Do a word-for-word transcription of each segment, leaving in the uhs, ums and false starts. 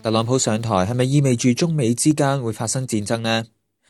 特朗普上台係咪意味住中美之間會發生戰爭呢？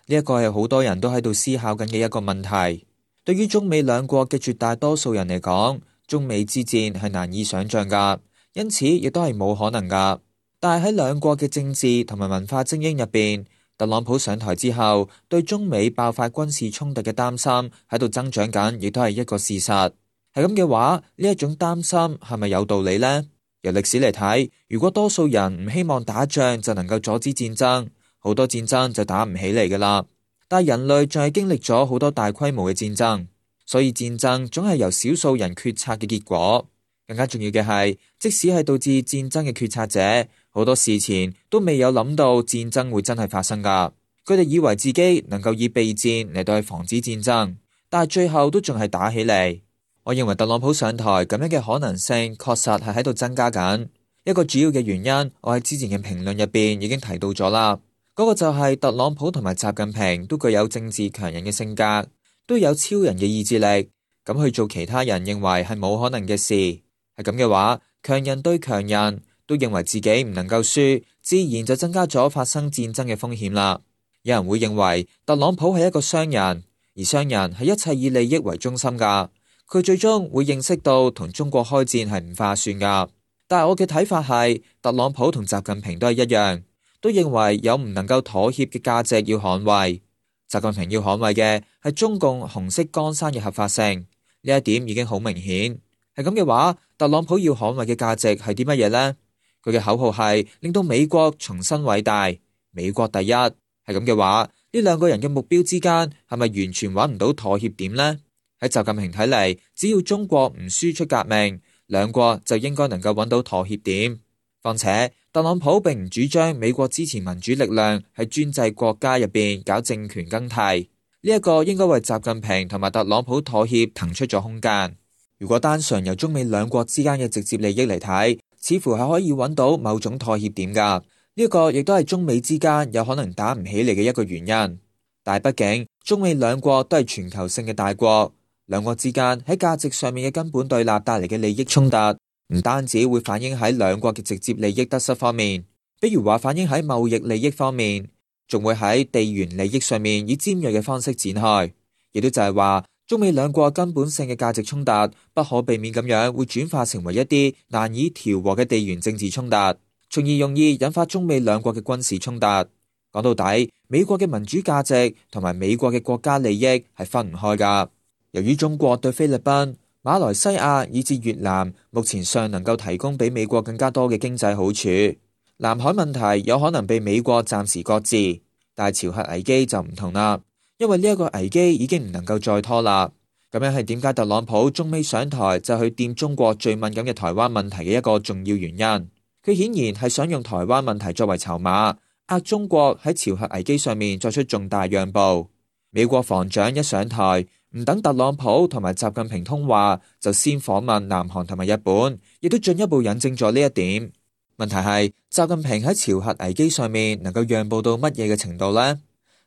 呢一個係好多人都喺度思考緊嘅一個問題。對於中美兩國嘅絕大多數人嚟講，中美之戰係難以想象噶，因此亦都係冇可能噶。但係喺兩國嘅政治同埋文化精英入邊，特朗普上台之後，對中美爆發軍事衝突嘅擔心喺度增長緊，亦都係一個事實。係咁嘅話，呢一種擔心係咪有道理呢？由歷史嚟睇，如果多數人唔希望打仗就能夠阻止戰爭，好多戰爭就打唔起嚟噶啦。但係人類仲係經歷咗好多大規模嘅戰爭，所以戰爭總係由少數人決策嘅結果。更加重要嘅係，即使係導致戰爭嘅決策者，好多事前都未有諗到戰爭會真係發生噶。佢哋以為自己能夠以備戰嚟到去防止戰爭，但係最後都仲係打起嚟。我認為特朗普上台咁樣嘅可能性確實係喺度增加緊。一個主要嘅原因，我喺之前嘅評論入邊已經提到咗啦。嗰個就係特朗普同埋習近平都具有政治強人嘅性格，都有超人嘅意志力，咁去做其他人認為係冇可能嘅事。係咁嘅話，強人對強人都認為自己唔能夠輸，自然就增加咗發生戰爭嘅風險啦。有人會認為特朗普係一個商人，而商人係一切以利益為中心噶。佢最終會認識到同中國開戰係唔划算噶，但係我嘅睇法係，特朗普同習近平都係一樣，都認為有唔能夠妥協嘅價值要捍衛。習近平要捍衛嘅係中共紅色江山嘅合法性，呢一點已經好明顯。係咁嘅話，特朗普要捍衛嘅價值係啲乜嘢呢？佢嘅口號係令到美國重新偉大，美國第一。係咁嘅話，呢兩個人嘅目標之間係咪完全揾唔到妥協點呢？喺習近平睇嚟，只要中國唔輸出革命，兩國就應該能夠揾到妥協點。況且特朗普並唔主張美國支持民主力量喺專制國家入邊搞政權更替，呢一個應該為習近平同埋特朗普妥協騰出咗空間。如果單純由中美兩國之間嘅直接利益嚟睇，似乎係可以揾到某種妥協點噶。呢一個亦都係中美之間有可能打唔起嚟嘅一個原因。但係畢竟中美兩國都係全球性嘅大國。兩國之間喺價值上面嘅根本對立帶嚟嘅利益衝突，唔單止會反映喺兩國嘅直接利益得失方面，比如話反映喺貿易利益方面，仲會喺地緣利益上面以尖銳嘅方式展開。亦都就係話，中美兩國根本性嘅價值衝突，不可避免咁樣會轉化成為一啲難以調和嘅地緣政治衝突，從而容易引發中美兩國嘅軍事衝突。講到底，美國嘅民主價值同埋美國嘅國家利益係分唔開噶。由於中國對菲律賓、馬來西亞以至越南目前尚能夠提供比美國更加多嘅經濟好處，南海問題有可能被美國暫時擱置，但係朝核危機就唔同啦，因為呢一個危機已經唔能夠再拖啦。咁樣係點解特朗普中美上台就去掂中國最敏感嘅台灣問題嘅一個重要原因。佢顯然係想用台灣問題作為籌碼，壓中國喺朝核危機上面作出重大讓步。美國防長一上台，唔等特朗普同埋習近平通話，就先訪問南韓同埋日本，亦都進一步引證咗呢一點。問題係習近平喺朝核危機上面能夠讓步到乜嘢嘅程度呢？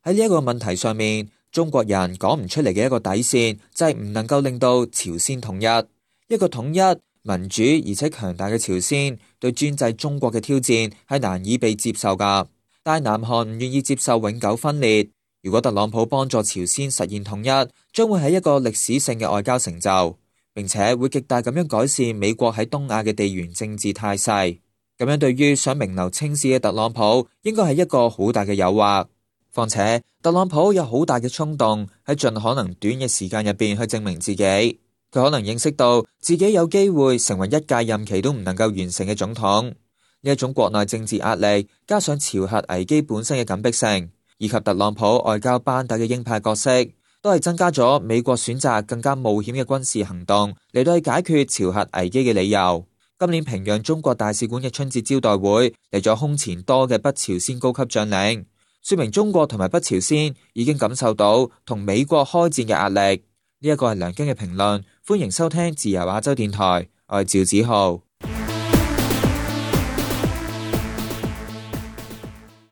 喺呢一個問題上面，中國人講唔出嚟嘅一個底線就係唔能夠令到朝鮮統一。一個統一、民主而且強大嘅朝鮮對專制中國嘅挑戰係難以被接受噶。但係南韓唔願意接受永久分裂。如果特朗普幫助朝鮮實現統一，將會係一個歷史性嘅外交成就，並且會極大咁樣改善美國喺東亞嘅地緣政治態勢。咁樣對於想名留青史嘅特朗普，應該係一個好大嘅誘惑。況且特朗普有好大嘅衝動喺盡可能短嘅時間入邊去證明自己，佢可能認識到自己有機會成為一屆任期都唔能夠完成嘅總統。呢一種國內政治壓力，加上朝核危機本身嘅緊迫性，以及特朗普外交班底嘅鷹派角色，都係增加咗美國選擇更加冒險嘅軍事行動嚟到去解決朝核危機嘅理由。今年平壤中國大使館嘅春節招待會嚟咗空前多嘅北朝鮮高級將領，說明中國同埋北朝鮮已經感受到同美國開戰嘅壓力。呢一個係梁京嘅評論，歡迎收聽自由亞洲電台，我係趙子浩。